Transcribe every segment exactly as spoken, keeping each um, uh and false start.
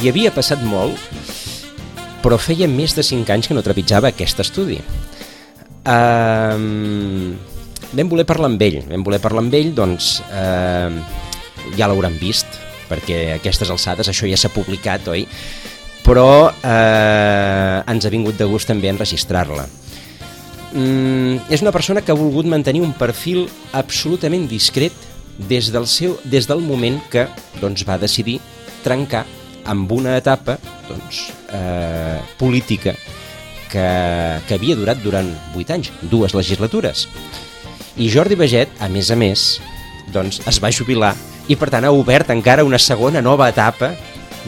hi havia passat molt, però feia més de cinc anys que no trepitjava aquest estudi. Uh, vam voler parlar amb ell, vam voler parlar amb ell, doncs uh, ja l'hauran vist, perquè a aquestes alçades això ja s'ha publicat, oi? Però eh, ens ha vingut de gust també enregistrar-la. Mm, és una persona que ha volgut mantenir un perfil absolutament discret des del, seu, des del moment que doncs, va decidir trencar amb una etapa doncs, eh, política que, que havia durat durant vuit anys, dues legislatures. I Jordi Baget, a més a més, doncs, es va jubilar i per tant ha obert encara una segona nova etapa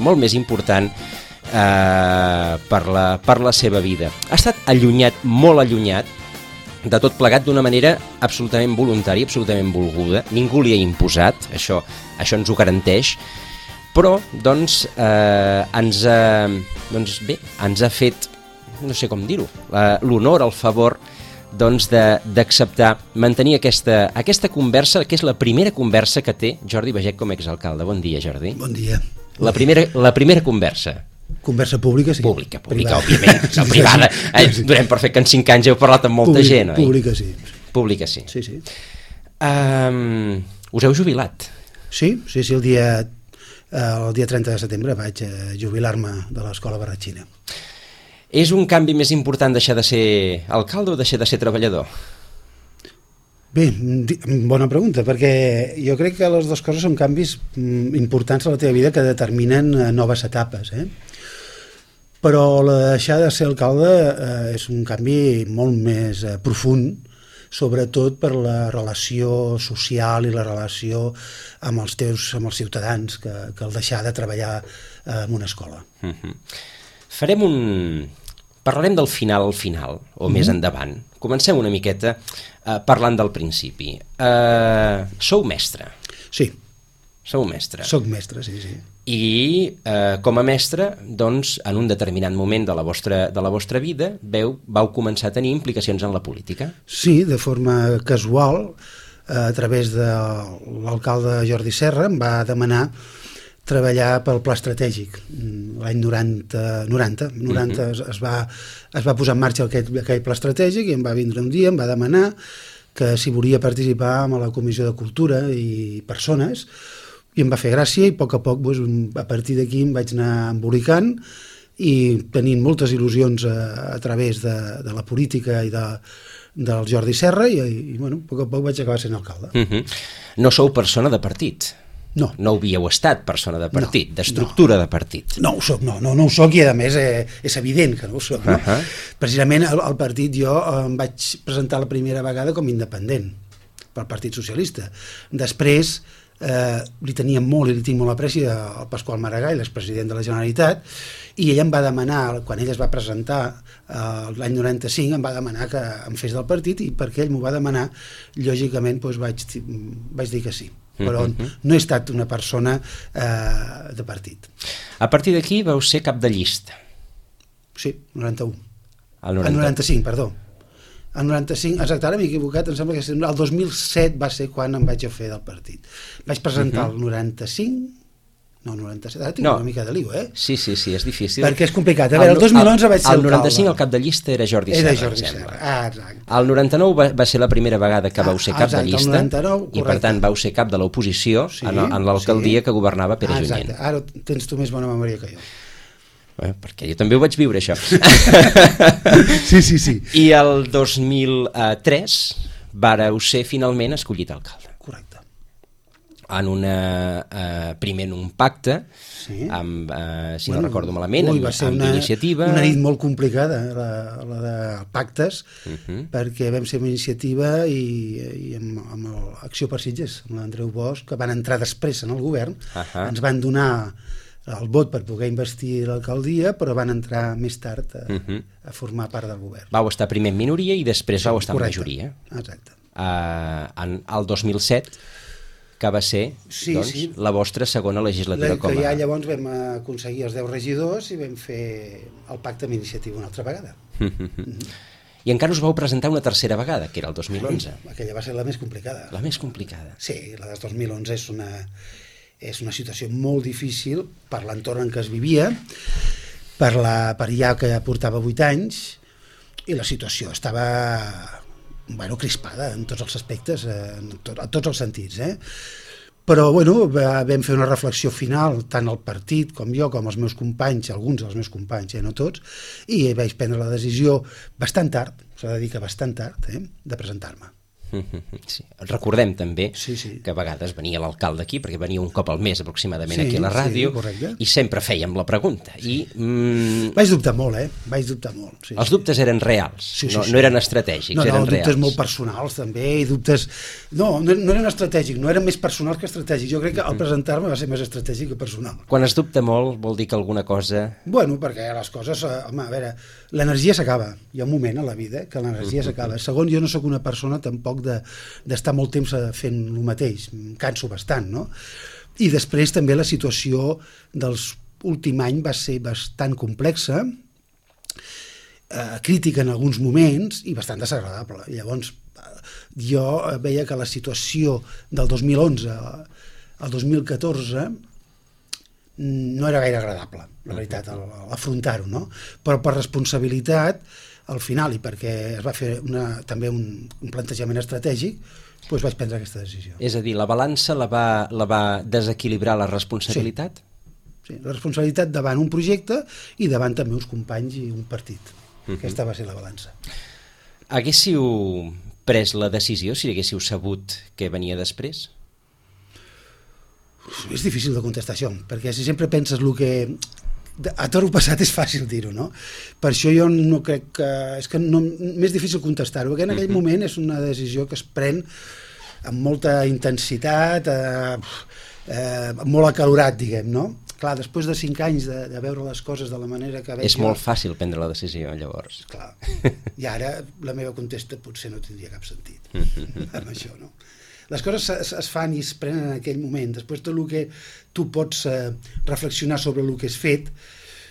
molt més important eh, per, la, per la seva vida. Ha estat allunyat, molt allunyat, de tot plegat d'una manera absolutament voluntària, absolutament volguda. Ningú li ha imposat, això, això ens ho garanteix, però doncs, eh, ens, ha, doncs bé, ens ha fet, no sé com dir-ho, l'honor, el favor doncs d'acceptar, mantenir aquesta, aquesta conversa, que és la primera conversa que té Jordi Baget com a exalcalde. Bon dia, Jordi. Bon dia. La primera, la primera conversa. Conversa pública, sí. Pública, pública, privada. Òbviament. No, privada. Eh, donem per fet que en cinc anys heu parlat amb molta Públic, gent, oi? Pública, sí. Pública, sí. Sí, sí. Um, us heu jubilat? Sí, sí, sí, el dia, el dia trenta de setembre vaig jubilar-me de l'Escola Barratxina. És un canvi més important deixar de ser alcalde o deixar de ser treballador? Bé, bona pregunta, perquè jo crec que les dues coses són canvis importants a la teva vida que determinen noves etapes, eh? Però la de deixar de ser alcalde eh, és un canvi molt més eh, profund, sobretot per la relació social i la relació amb els teus, amb els ciutadans, que, que el deixar de treballar eh, en una escola. Uh-huh. Farem un... Parlarem del final al final, o mm-hmm. més endavant. Comencem una miqueta uh, parlant del principi. Uh, sou mestre. Sí. Sou mestre. Soc mestre, sí, sí. I uh, com a mestre, doncs, en un determinat moment de la vostra, de la vostra vida, veu, vau començar a tenir implicacions en la política. Sí, de forma casual, a través de l'alcalde Jordi Serra, em va demanar treballar pel pla estratègic l'any noranta, noranta, noranta uh-huh. es, es, va, es va posar en marxa aquell, aquell pla estratègic i em va vindre un dia, em va demanar que si volia participar en la Comissió de Cultura i Persones, i em va fer gràcia i a poc a poc doncs, a partir d'aquí em vaig anar embolicant i tenint moltes il·lusions a, a través de, de la política i de, del Jordi Serra i, i bueno, a poc a poc vaig acabar sent alcalde. Uh-huh. No sou persona de partit? No. No havíeu estat persona de partit, no, d'estructura no. de partit. No ho soc, no, no, no ho soc i a més eh, és evident que no ho soc. No? Uh-huh. Precisament al, al partit jo em vaig presentar la primera vegada com independent pel Partit Socialista. Després eh, li tenia molt i li tinc molt apreci al Pasqual Maragall, l'expresident de la Generalitat, i ell em va demanar, quan ell es va presentar eh, l'any noranta-cinc, em va demanar que em fes del partit i perquè ell m'ho va demanar, lògicament doncs vaig, vaig dir que sí. Però no he estat una persona eh, de partit. A partir d'aquí vau ser cap de llista. Sí, noranta-u. El noranta... El noranta-cinc, perdó. El noranta-cinc, exacte, ara m'he equivocat, em sembla que el dos mil set va ser quan em vaig a fer del partit. Vaig presentar uh-huh. el noranta-cinc, no, noranta-set, ara tinc no. una mica de lío, eh? Sí, sí, sí, és difícil. Perquè és complicat. A veure, el dos mil onze vaig ser el noranta-cinc el cap de llista era Jordi Serra, era Jordi Serra, ah, exacte. El noranta-nou va, va ser la primera vegada que vau ser cap ah, exacte, de llista noranta-nou, i per tant vau ser cap de l'oposició sí, en, en l'alcaldia sí. que governava Pere ah, Junyent. Exacte, ara tens tu més bona memòria que jo. Eh, perquè jo també ho vaig viure, això. sí, sí, sí. I el dos mil tres vareu ser finalment escollit alcalde. Correcte. En una, eh, primer en un pacte, sí. amb, eh, si bueno, no recordo malament, ui, amb, amb una, iniciativa... una nit molt complicada, la, la de pactes, uh-huh. perquè vam ser una iniciativa i, i amb, amb l'Acció per Sitges, amb l'Andreu Bosch, que van entrar després en el govern, uh-huh. ens van donar el vot per poder investir l'alcaldia, però van entrar més tard a, uh-huh. a formar part del govern. Vau estar primer en minoria i després sí, vau estar correcte. en majoria. Exacte. Uh, en el dos mil set... que va ser sí, doncs, sí. la vostra segona legislatura com a... Que ja llavors vam aconseguir els deu regidors i vam fer el pacte amb iniciativa una altra vegada. Mm-hmm. I encara us vau presentar una tercera vegada, que era el dos mil onze. Sí, aquella va ser la més complicada. La més complicada. Sí, la del dos mil onze és una, és una situació molt difícil per l'entorn en què es vivia, per, la, per ja que portava vuit anys, i la situació estava bueno, crispada en tots els aspectes, en, to, en tots els sentits, eh? Però bueno, vam fer una reflexió final, tant el partit com jo, com els meus companys, alguns dels meus companys, eh, no tots, i vaig prendre la decisió bastant tard, s'ha de dir que bastant tard, eh, de presentar-me. Sí. Recordem també sí, sí. que a vegades venia l'alcalde aquí, perquè venia un cop al mes aproximadament sí, aquí a la ràdio, sí, i sempre fèiem la pregunta. I, mm, vaig dubtar molt, eh? Vaig dubtar molt. Sí, els sí. dubtes eren reals, sí, sí, no, sí. no eren estratègics, no, no, eren dubtes reals. molt personals també, i dubtes... No, no, no eren estratègics, no eren més personals que estratègics. Jo crec que al presentar-me va ser més estratègic que personal. Quan es dubta molt vol dir que alguna cosa... Bueno, perquè les coses... Home, a veure, l'energia s'acaba. Hi ha un moment a la vida que l'energia s'acaba. Segon, jo no sóc una persona tampoc de, d'estar molt temps fent el mateix. Em canso bastant, no? I després també la situació dels últim any va ser bastant complexa, eh, crítica en alguns moments i bastant desagradable. Llavors, jo veia que la situació del dos mil onze al dos mil catorze no era gaire agradable, la veritat, afrontar-ho, no? Però per responsabilitat, al final, i perquè es va fer una, també un, un plantejament estratègic, doncs vaig prendre aquesta decisió. És a dir, la balança la va, la va desequilibrar la responsabilitat? Sí, sí, la responsabilitat davant un projecte i davant també uns companys i un partit. Uh-huh. Aquesta va ser la balança. Haguéssiu pres la decisió si haguéssiu sabut què venia després? És difícil de contestar això, perquè si sempre penses el que... A toro passat és fàcil dir-ho, no? Per això jo no crec que... És que no, més difícil contestar-ho, perquè en aquell moment és una decisió que es pren amb molta intensitat, eh, eh, molt acalorat, diguem, no? Clar, després de cinc anys de, de veure les coses de la manera que veig... És molt fàcil prendre la decisió, llavors. Clar, i ara la meva contesta potser no tindria cap sentit amb això, no? Les coses es, es fan i es prenen en aquell moment. Després tot el que tu pots eh, reflexionar sobre el que has fet,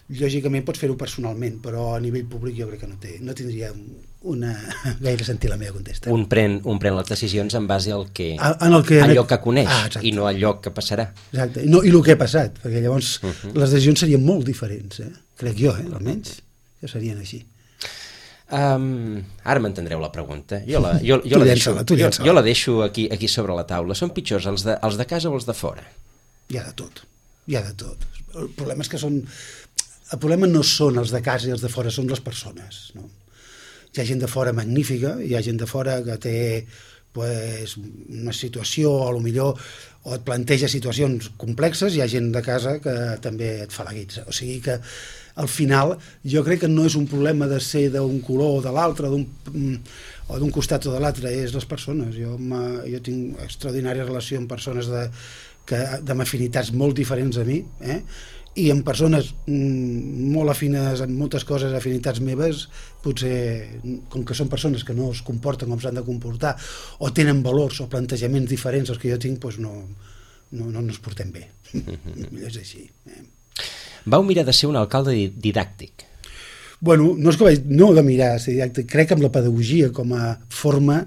lògicament pots fer-ho personalment, però a nivell públic jo crec que no, té, no tindria una, gaire sentit la meva contesta. Un pren, un pren les decisions en base al que, a, en el que allò que coneix, ah, i no allò que passarà. Exacte, I, no, i el que ha passat, perquè llavors uh-huh. les decisions serien molt diferents, eh? Crec jo, eh? almenys, que serien així. Um, ara m'entendreu la pregunta. Jo la, jo, jo la, deixo, jo, jo la deixo aquí, aquí sobre la taula. Són pitjors els de, els de casa o els de fora? Hi ha de tot, hi ha de tot. El problema és que són... El problema no són els de casa i els de fora, són les persones, no? Hi ha gent de fora magnífica, hi ha gent de fora que té pues, una situació, o millor o et planteja situacions complexes, hi ha gent de casa que també et fa la guitza. O sigui que al final jo crec que no és un problema de ser d'un color o de l'altre, d'un, o d'un costat o de l'altre, és les persones. Jo, jo tinc extraordinària relació amb persones de, que, amb afinitats molt diferents a mi, eh? I amb persones mm, molt afines en moltes coses, afinitats meves, potser, com que són persones que no es comporten com s'han de comportar, o tenen valors o plantejaments diferents als que jo tinc, doncs no, no, no ens portem bé. Millor és així. Eh? Vau mirar de ser un alcalde didàctic. Bueno, no és que vaig, no de mirar de ser didàctic, crec en la pedagogia com a forma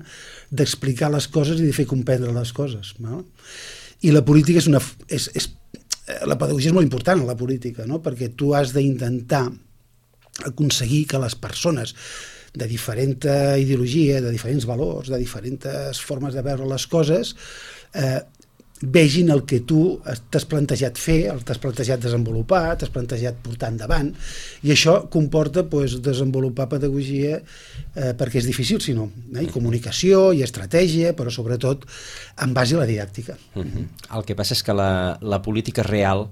d'explicar les coses i de fer comprendre les coses. No? I la política és una... És, és, la pedagogia és molt important en la política, no? Perquè tu has d'intentar aconseguir que les persones de diferent ideologia, de diferents valors, de diferents formes de veure les coses, eh, vegin el que tu t'has plantejat fer, el t'has plantejat desenvolupar, t'has plantejat portar endavant, i això comporta pues, desenvolupar pedagogia eh, perquè és difícil, si no, eh? I comunicació i estratègia, però sobretot en base a la didàctica. Uh-huh. El que passa és que la, la política real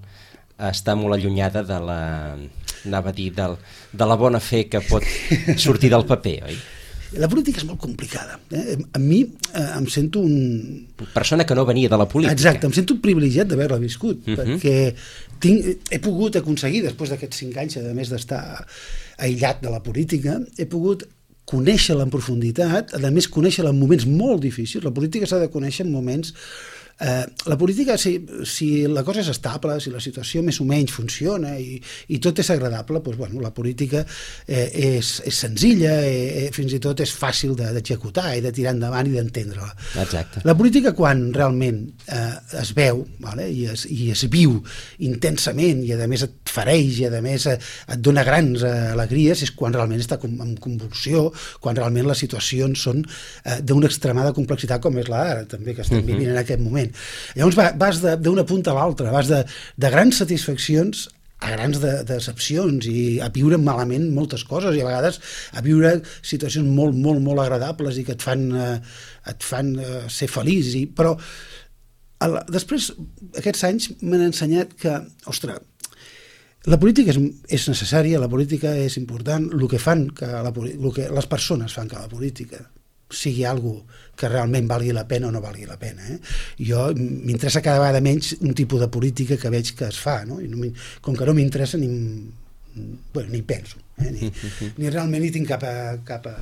està molt allunyada de la, anava a dir, del, de la bona fe que pot sortir del paper, oi? La política és molt complicada. Eh? A mi eh, em sento un... Persona que no venia de la política. Exacte, em sento un privilegiat d'haver-la viscut, uh-huh. perquè tinc, he pogut aconseguir, després d'aquests cinc anys, a més d'estar aïllat de la política, he pogut conèixer-la en profunditat, a més conèixer-la en moments molt difícils. La política s'ha de conèixer en moments Eh, la política, si, si la cosa és estable, si la situació més o menys funciona i, i tot és agradable, doncs, bueno, la política eh, és, és senzilla, eh, fins i tot és fàcil d'executar i de tirar endavant i d'entendre-la. Exacte. La política, quan realment eh, es veu, vale, i, es, i es viu intensament i a més et fareix i a més et dona grans alegries, és quan realment està en convulsió, quan realment les situacions són eh, d'una extremada complexitat com és la d'ara, també, que estem uh-huh. vivint en aquest moment. Llavors vas d'una punta a l'altra, vas de, de grans satisfaccions a grans de, decepcions i a viure malament moltes coses i a vegades a viure situacions molt, molt, molt agradables i que et fan, eh, et fan eh, ser feliç. I, però el, després, aquests anys m'han ensenyat que, ostres, la política és, és necessària, la política és important, el que fan que, la, el que les persones fan que la política sigui algo que realment valgui la pena o no valgui la pena. Eh? Jo m'interessa cada vegada menys un tipus de política que veig que es fa, no? I no com que no m'interessa ni, bueno, ni penso, eh? ni, ni realment ni tinc cap, a, cap a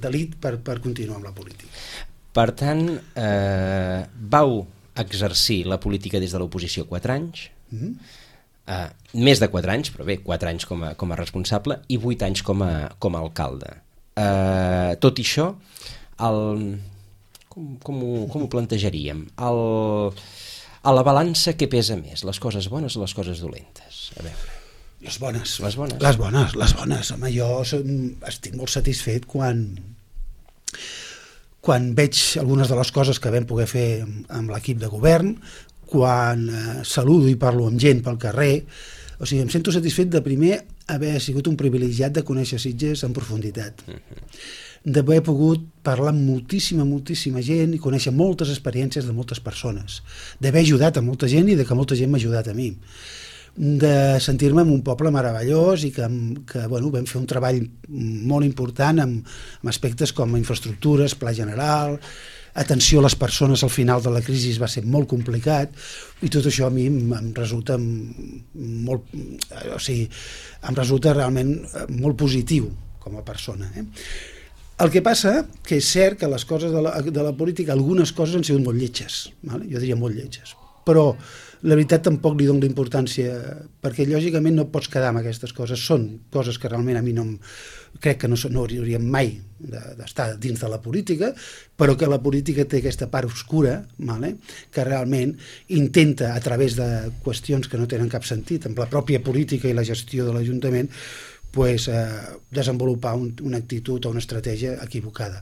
delit per, per continuar amb la política. Per tant, eh, vau exercir la política des de l'oposició quatre anys, mm-hmm. eh, més de quatre anys, però bé, quatre anys com a, com a responsable i vuit anys com a, com a alcalde. Eh, tot i això, el, com, com, ho, com ho plantejaríem? El, a la balança què pesa més? Les coses bones o les coses dolentes? A veure. Les bones. Les bones. Les bones, les bones. Home, jo estic molt satisfet quan, quan veig algunes de les coses que vam poder fer amb l'equip de govern, quan eh, saludo i parlo amb gent pel carrer. O sigui, em sento satisfet de primer haver sigut un privilegiat de conèixer Sitges en profunditat. Uh-huh. D'haver pogut parlar amb moltíssima, moltíssima gent i conèixer moltes experiències de moltes persones, d'haver ajudat a molta gent i de que molta gent m'ha ajudat a mi, de sentir-me en un poble meravellós i que, que bueno, vam fer un treball molt important amb, amb aspectes com infraestructures, pla general, atenció a les persones al final de la crisi va ser molt complicat i tot això a mi em resulta molt, o sigui, em resulta realment molt positiu com a persona. Eh? El que passa que és cert que les coses de la, de la política, algunes coses han sigut molt lletges, vale? Jo diria molt lletges, però la veritat tampoc li dono importància, perquè lògicament no pots quedar amb aquestes coses, són coses que realment a mi no em, crec que no, no hauríem mai d'estar de, dins de la política, però que la política té aquesta part obscura, vale? Que realment intenta, a través de qüestions que no tenen cap sentit, amb la pròpia política i la gestió de l'Ajuntament, pues, eh, desenvolupar un, una actitud o una estratègia equivocada.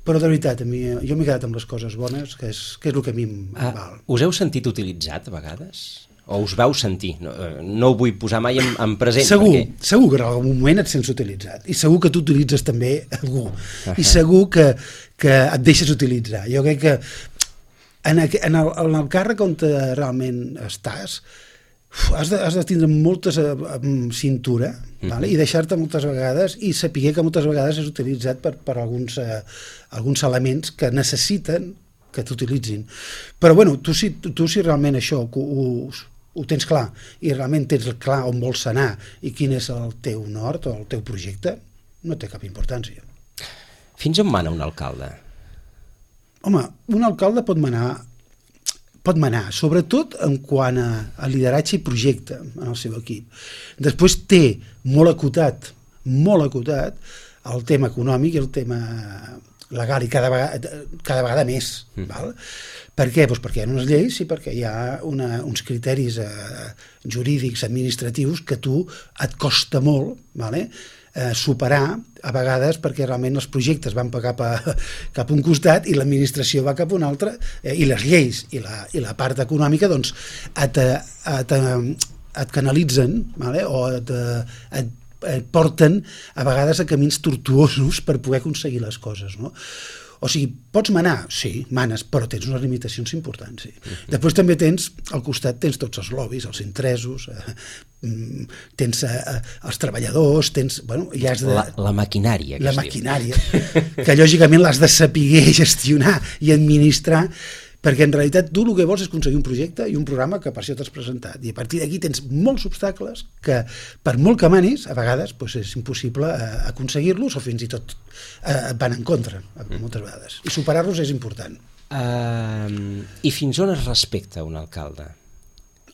Però de veritat, a mi, jo m'he quedat amb les coses bones, que és, que és el que a mi em ah, val. Us heu sentit utilitzat a vegades? O us vau sentir? No, no ho vull posar mai en, en present. Segur, perquè... segur que en algun moment et sents utilitzat. I segur que tu utilitzes també algú. Uh-huh. I segur que, que et deixes utilitzar. Jo crec que en, en, el, en el càrrec on realment estàs, has de, has de tindre molta cintura, uh-huh. vale? I deixar-te moltes vegades i saber que moltes vegades és utilitzat per, per alguns, eh, alguns elements que necessiten que t'utilitzin. Però bueno, tu si, tu, tu si realment això ho, ho, ho tens clar i realment tens clar on vols anar i quin és el teu nord o el teu projecte, no té cap importància. Fins on mana un alcalde? Home, un alcalde pot manar pot manar, sobretot en quant a, a lideratge i projecte en el seu equip. Després té molt acotat, molt acotat, el tema econòmic i el tema legal, i cada vegada, cada vegada més. Mm. Val? Per què? Pues perquè hi ha unes lleis i perquè hi ha una, uns criteris eh, jurídics, administratius, que tu et costa molt, vale? eh, superar a vegades perquè realment els projectes van cap a, cap a un costat i l'administració va cap a un altre, eh, i les lleis i la, i la part econòmica doncs et, et, et canalitzen, vale? O et, et, et porten a vegades a camins tortuosos per poder aconseguir les coses, no? O sigui, pots manar? Sí, manes, però tens unes limitacions importants. Sí. Uh-huh. Després també tens, al costat tens tots els lobbies, els interessos, eh, tens eh, els treballadors, tens... Bueno, ja has de, la, la maquinària. Que la maquinària, que lògicament l'has de saber gestionar i administrar, perquè en realitat tu el que vols és aconseguir un projecte i un programa que per això t'has presentat, i a partir d'aquí tens molts obstacles que per molt que manis a vegades doncs és impossible eh, aconseguir-los o fins i tot eh, et van en contra moltes vegades, i superar-los és important. Uh, I fins on es respecta un alcalde?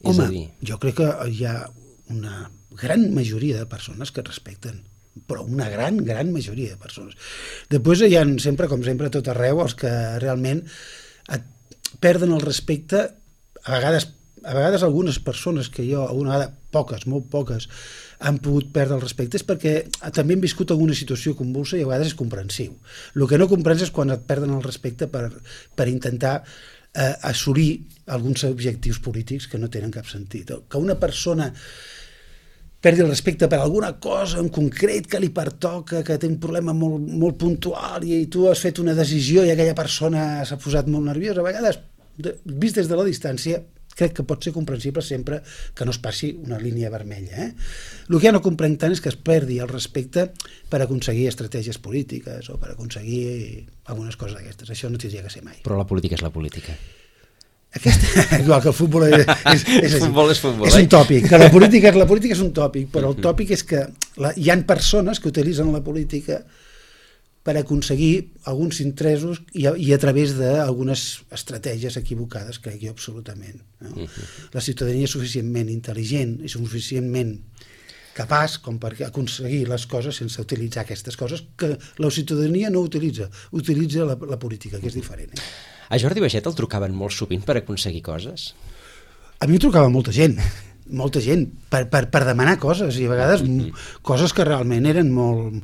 Home, és a dir... jo crec que hi ha una gran majoria de persones que respecten, però una gran, gran majoria de persones. Després hi ha sempre, com sempre, a tot arreu, els que realment et perden el respecte, a vegades, a vegades algunes persones que jo, alguna vegada, poques, molt poques, han pogut perdre el respecte, és perquè també hem viscut alguna situació convulsa i a vegades és comprensiu. El que no comprens és quan et perden el respecte per, per intentar eh, assolir alguns objectius polítics que no tenen cap sentit. Que una persona perdi el respecte per alguna cosa en concret que li pertoca, que té un problema molt, molt puntual i tu has fet una decisió i aquella persona s'ha posat molt nerviosa, a vegades, vist des de la distància, crec que pot ser comprensible sempre que no es passi una línia vermella. Eh? El que ja no comprenc tant és que es perdi el respecte per aconseguir estratègies polítiques o per aconseguir algunes coses d'aquestes. Això no tindria que ser mai. Però la política és la política. Aquesta, igual que el futbol és, és, és, futbol és, futbol, és eh? un tòpic. Que la política, la política és un tòpic, però el tòpic és que la, hi ha persones que utilitzen la política per aconseguir alguns interessos i a, i a través d'algunes estratègies equivocades, crec jo, absolutament. No? Uh-huh. La ciutadania és suficientment intel·ligent i suficientment capaç com per aconseguir les coses sense utilitzar aquestes coses que la ciutadania no utilitza, utilitza la, la política, que és diferent. Eh? A Jordi Baiget el trucaven molt sovint per aconseguir coses? A mi em trucava molta gent, molta gent, per, per, per demanar coses, i a vegades uh-huh. coses que realment eren molt...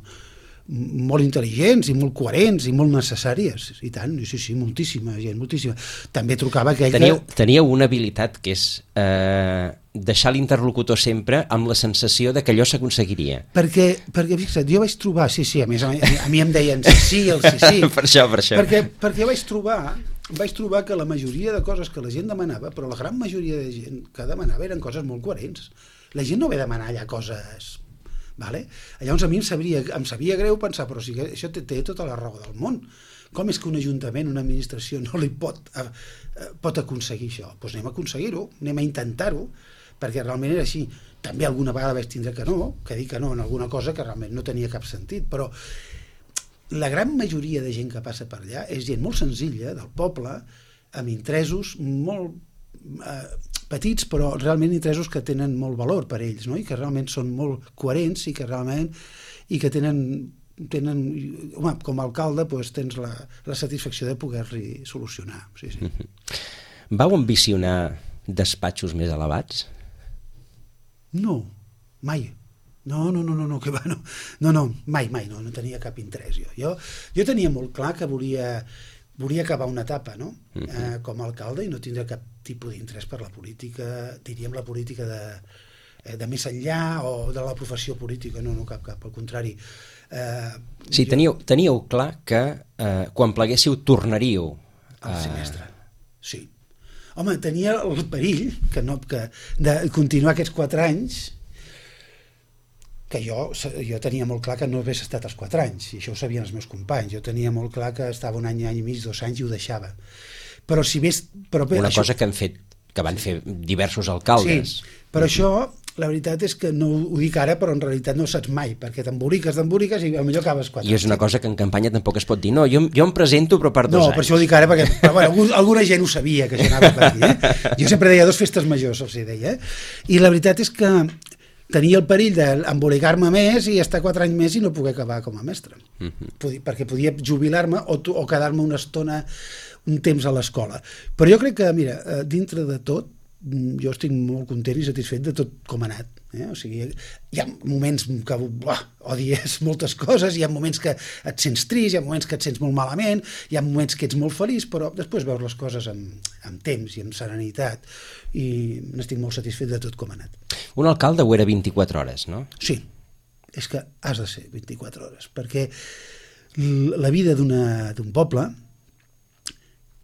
molt intel·ligents i molt coherents i molt necessàries, i tant, sí, sí, moltíssima gent, moltíssima. També trucava aquell teníeu, que... Teníeu una habilitat que és eh, deixar l'interlocutor sempre amb la sensació de que allò s'aconseguiria. Perquè, perquè, fixa't, jo vaig trobar, sí, sí, a més, a, a mi em deien sí, sí, el sí, sí. per això, per això. Perquè, perquè vaig trobar, vaig trobar que la majoria de coses que la gent demanava, però la gran majoria de gent que demanava eren coses molt coherents. La gent no ve a demanar allà coses... Vale? Llavors a mi em sabria, em sabia greu pensar, però si això té, té tota la raó del món. Com és que un ajuntament, una administració no li pot, eh, pot aconseguir això? Doncs anem a aconseguir-ho, anem a intentar-ho, perquè realment era així. També alguna vegada vaig tindre que no, que dir que no en alguna cosa que realment no tenia cap sentit, però la gran majoria de gent que passa per allà és gent molt senzilla, del poble, amb interessos molt... Eh, petits, però realment interessos que tenen molt valor per ells, no? I que realment són molt coherents i que realment i que tenen, tenen home, com a alcalde doncs, tens la, la satisfacció de poder-li solucionar. Sí, sí. Vau ambicionar despatxos més elevats? No, mai. No, no, no, no, no, que va, no, no, no, mai, mai, no, no tenia cap interès jo. Jo, jo tenia molt clar que volia, volia acabar una etapa, no? Uh-huh. eh, com a alcalde i no tindre cap tipus d'interès per la política, diríem la política de, de més enllà o de la professió política, no, no cap, cap, al contrari. Eh, sí, jo... teníeu, teníeu clar que eh, quan pleguéssiu tornaríeu al semestre, sí. Home, tenia el perill que no, que de continuar aquests quatre anys que jo, jo tenia molt clar que no hagués estat els quatre anys, i això ho sabien els meus companys. Jo tenia molt clar que estava un any, any i mig, dos anys i ho deixava. Però si ves... Però, Una això... cosa que han fet, que van fer diversos alcaldes. Sí, però això, la veritat és que no ho dic ara, però en realitat no ho saps mai, perquè t'emboliques, t'emboliques i potser acabes quatre I és una cosa que en campanya tampoc es pot dir. No, jo, jo em presento però per dos no, anys. No, per això ho dic ara, perquè però, bueno, alguna gent ho sabia que això anava per aquí. Eh? Jo sempre deia dos festes majors, els deia. Eh? I la veritat és que tenia el perill d'embolicar-me més i estar quatre anys més i no poder acabar com a mestre. Uh-huh. Podia, perquè podia jubilar-me o, o quedar-me una estona, un temps a l'escola. Però jo crec que, mira, dintre de tot, jo estic molt content i satisfet de tot com ha anat. Eh? O sigui, hi ha moments que buah, odies moltes coses, hi ha moments que et sents trist, hi ha moments que et sents molt malament, hi ha moments que ets molt feliç, però després veus les coses amb, amb temps i amb serenitat i n'estic molt satisfet de tot com ha anat. Un alcalde ho era vint-i-quatre hores, no? Sí, és que has de ser vint-i-quatre hores, perquè la vida d'un poble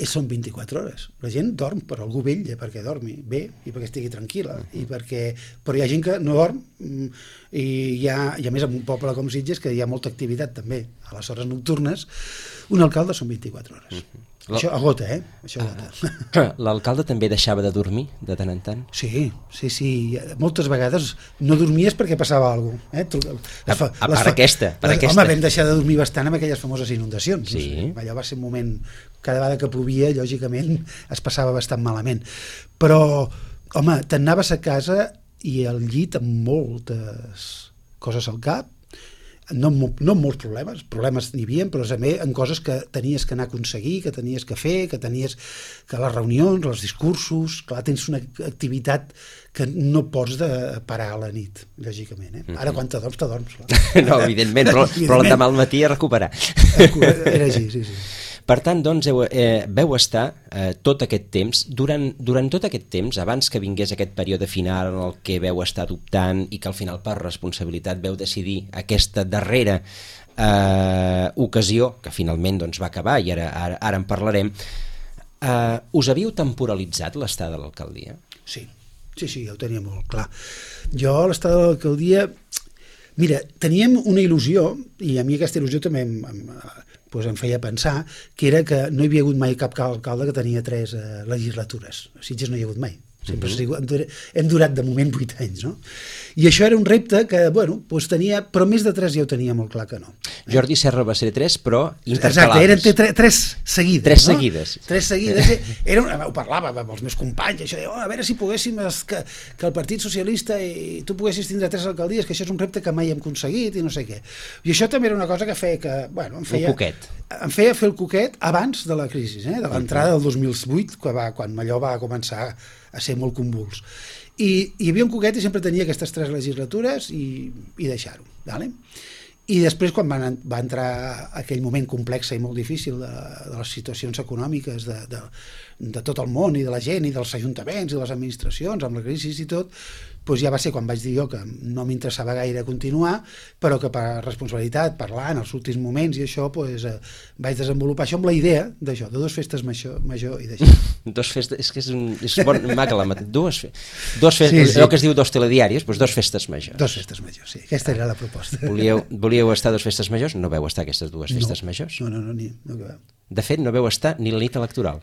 són vint-i-quatre hores. La gent dorm, però algú vetlla perquè dormi bé i perquè estigui tranquil·la. I perquè... Però hi ha gent que no dorm i hi ha, i a més en un poble com Sitges que hi ha molta activitat també a les hores nocturnes, Un alcalde són vint-i-quatre hores. Mm-hmm. Això agota, eh? Això agota. L'alcalde també deixava de dormir de tant en tant? Sí, sí, sí. Moltes vegades no dormies perquè passava alguna cosa. Eh? Les fa, a, a per aquesta, per les, aquesta. Home, vam deixar de dormir bastant amb aquelles famoses inundacions. Sí. No sé. Allò va ser un moment, cada vegada que plovia, lògicament, es passava bastant malament. Però, home, t'anaves a casa i al llit amb moltes coses al cap, no, no amb molts problemes, problemes n'hi havia, però també en coses que tenies que anar a aconseguir, que tenies que fer, que tenies que les reunions, els discursos, clar, tens una activitat que no pots de parar a la nit, lògicament. Eh? Ara quan te dorms, te dorms. Clar. No, evidentment, però, però l'endemà al matí a recuperar. Era així, sí, sí. Per tant, doncs, heu, eh, veu estar eh, tot aquest temps, durant, durant tot aquest temps, abans que vingués aquest període final en el que veu estar dubtant i que al final per responsabilitat veu decidir aquesta darrera eh, ocasió, que finalment doncs, va acabar i ara, ara, ara en parlarem, eh, us havíeu temporalitzat l'estada de l'alcaldia? Sí, sí, sí, ja ho tenia molt clar. Jo l'estada de l'alcaldia... Mira, teníem una il·lusió, i a mi aquesta il·lusió també em, em, doncs em feia pensar, que era que no hi havia hagut mai cap alcalde que tenia tres eh, legislatures. A Sitges no hi ha hagut mai. Sempre mm-hmm. hem durat de moment vuit anys, no? I això era un repte que, bueno, doncs tenia, però més de tres ja ho tenia molt clar que no. Jordi Serra va ser tres, però intercalades. Exacte, eren tre, tres seguides. Tres no? seguides. Tres seguides. Era una, ho parlava amb els meus companys, això de, oh, a veure si poguéssim, es, que, que el Partit Socialista i tu poguessis tindre tres alcaldies, que això és un repte que mai hem aconseguit i no sé què. I això també era una cosa que feia que, bueno, em feia... Un coquet. Em feia fer el coquet abans de la crisi, eh? De l'entrada del dos mil vuit, que va, quan allò va començar a ser molt convuls. I hi havia un coquet i sempre tenia aquestes tres legislatures i, i deixar-ho. Vale? I després, quan va, va entrar aquell moment complex i molt difícil de, de les situacions econòmiques de, de, de tot el món i de la gent i dels ajuntaments i de les administracions, amb la crisi i tot, doncs ja va ser quan vaig dir jo que no m'interessava gaire continuar, però que per responsabilitat, parlant els últims moments i això, doncs, eh, vaig desenvolupar això amb la idea d'això, de dues festes major, major i d'això. Dos festes, és que és, un, és bon, maca la mat... dues, fe... dos festes, sí, sí. Allò que es diu dos telediaris, doncs dos festes majors. Dos festes majors, sí, aquesta era la proposta. Volíeu, volíeu estar dos festes majors? No veu estar aquestes dues festes no, majors? No, no, no, ni, no que veu. De fet, no veu estar ni la nit electoral.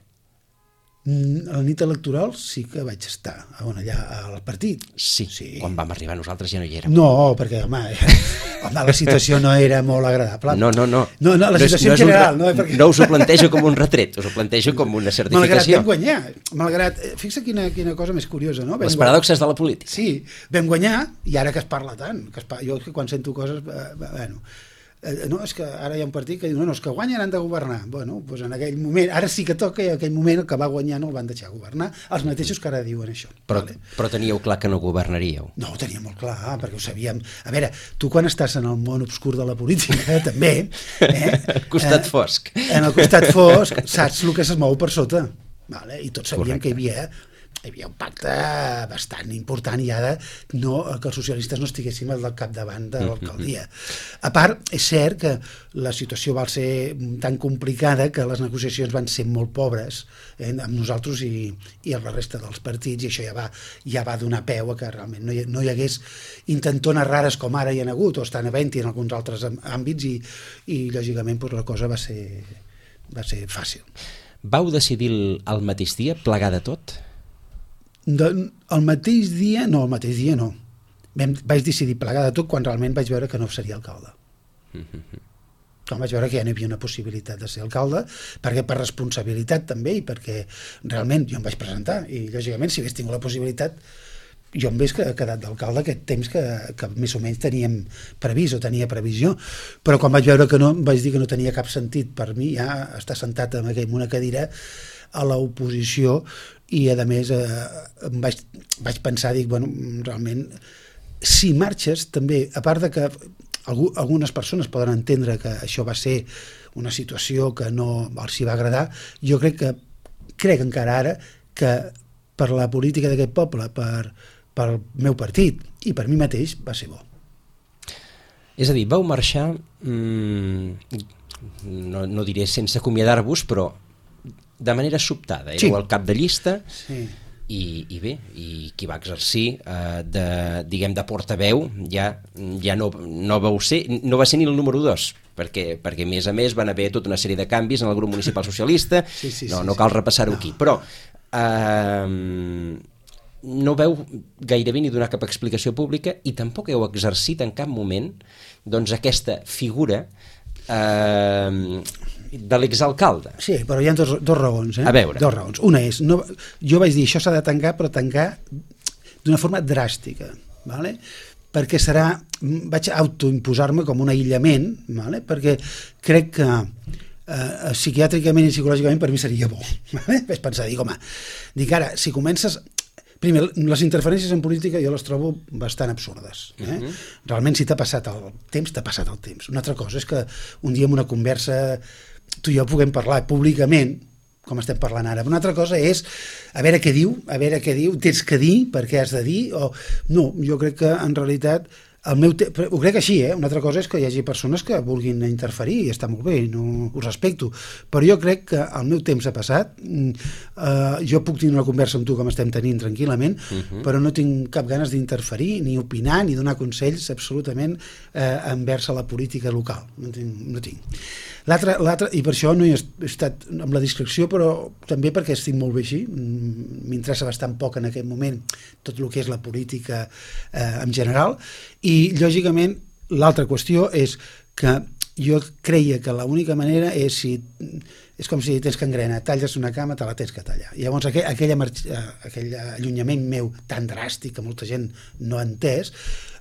A la nit electoral sí que vaig estar on allà al partit. Sí, sí, quan vam arribar nosaltres ja no hi érem. No, perquè home, home la situació no era molt agradable. No, no, no. No, no la situació no, no en general. Un, no, perquè... no us ho plantejo com un retret, us ho plantejo com una certificació. Malgrat vam guanyar, malgrat, fixa quina, quina cosa més curiosa, no? Vam Les paradoxes de la política. Sí, vam guanyar, i ara que es parla tant, que es parla, jo quan sento coses, eh, bueno... no, és que ara hi ha un partit que diu no, no, és que guanyen han de governar. Bueno, doncs en aquell moment, ara sí que toca i en aquell moment el que va guanyar no el van deixar governar, els mateixos que ara diuen això. Però, vale? Però teníeu clar que no governaríeu? No, ho teníem molt clar, perquè ho sabíem. A veure, tu quan estàs en el món obscur de la política, també... Eh, el costat eh, fosc. En el costat fosc saps el que es mou per sota. Vale? I tots sabíem Correcte. que hi havia... hi havia un pacte bastant important i ara no, que els socialistes no estiguéssim al capdavant de l'alcaldia. A part, és cert que la situació va ser tan complicada que les negociacions van ser molt pobres eh, amb nosaltres i, i amb la resta dels partits, i això ja va, ja va donar peu a que realment no hi, no hi hagués intentones rares com ara hi ha hagut, o estan havent-hi en alguns altres àmbits, i, i lògicament doncs, la cosa va ser, va ser fàcil. Vau decidir el mateix dia plegar de tot? De, el mateix dia, no, el mateix dia no. Vam, vaig decidir plegar de tot quan realment vaig veure que no seria alcalde. Mm-hmm. Quan vaig veure que ja no hi havia una possibilitat de ser alcalde, perquè per responsabilitat també, i perquè realment jo em vaig presentar, i lògicament si hagués tingut la possibilitat, jo em hagués quedat d'alcalde aquest temps que, que més o menys teníem previst o tenia previsió, però quan vaig veure que no, vaig dir que no tenia cap sentit per mi ja estar sentat en una cadira a l'oposició, i a més eh, vaig, vaig pensar, dic, bueno, realment si marxes també, a part de que algú, algunes persones poden entendre que això va ser una situació que no els hi va agradar, jo crec que crec encara ara que per la política d'aquest poble, per, per el meu partit i per mi mateix va ser bo. És a dir, vau marxar mmm, no, no diré sense acomiadar-vos, però de manera sobtada, éreu sí. el cap de llista, sí. i, i bé, i qui va exercir eh, de, diguem, de portaveu ja, ja no, no, vau ser, no va ser ni el número dos, perquè, perquè a més a més van haver tota una sèrie de canvis en el grup municipal socialista, sí, sí, no, sí, no sí. cal repassar-ho No. aquí, però eh, no veu gairebé ni donar cap explicació pública i tampoc heu exercit en cap moment doncs aquesta figura eh, de l'exalcalde. Sí, però hi ha dos, dos raons. Eh? A veure. Dos raons. Una és, no, jo vaig dir, això s'ha de tancar, però tancar d'una forma dràstica, ¿vale? Perquè serà, vaig autoimposar-me com un aïllament, ¿vale? Perquè crec que eh, psiquiàtricament i psicològicament per mi seria bo. ¿Vale? Vaig pensar, dic, home, dic ara, si comences... Primer, les interferències en política jo les trobo bastant absurdes. Eh? Uh-huh. Realment, si t'ha passat el temps, t'ha passat el temps. Una altra cosa és que un dia en una conversa tu i jo puguem parlar públicament, com estem parlant ara. Una altra cosa és a veure què diu, a veure què diu, tens que dir, per què has de dir, o... No, jo crec que en realitat el meu te... ho crec així, eh? Una altra cosa és que hi hagi persones que vulguin interferir i està molt bé, no ho respecto, però jo crec que el meu temps ha passat, eh, jo puc tenir una conversa amb tu com estem tenint tranquil·lament, uh-huh. però no tinc cap ganes d'interferir, ni opinar, ni donar consells absolutament eh, envers a la política local, no tinc, no tinc. L'altre, l'altre, i per això no he estat amb la discreció, però també perquè estic molt bé així, m'interessa bastant poc en aquest moment tot el que és la política eh, en general, i lògicament l'altra qüestió és que jo creia que l'única manera és si és com si tens gangrena, talles una cama, te la tens que tallar. I llavors aquell, aquella, aquell allunyament meu tan dràstic que molta gent no ha entès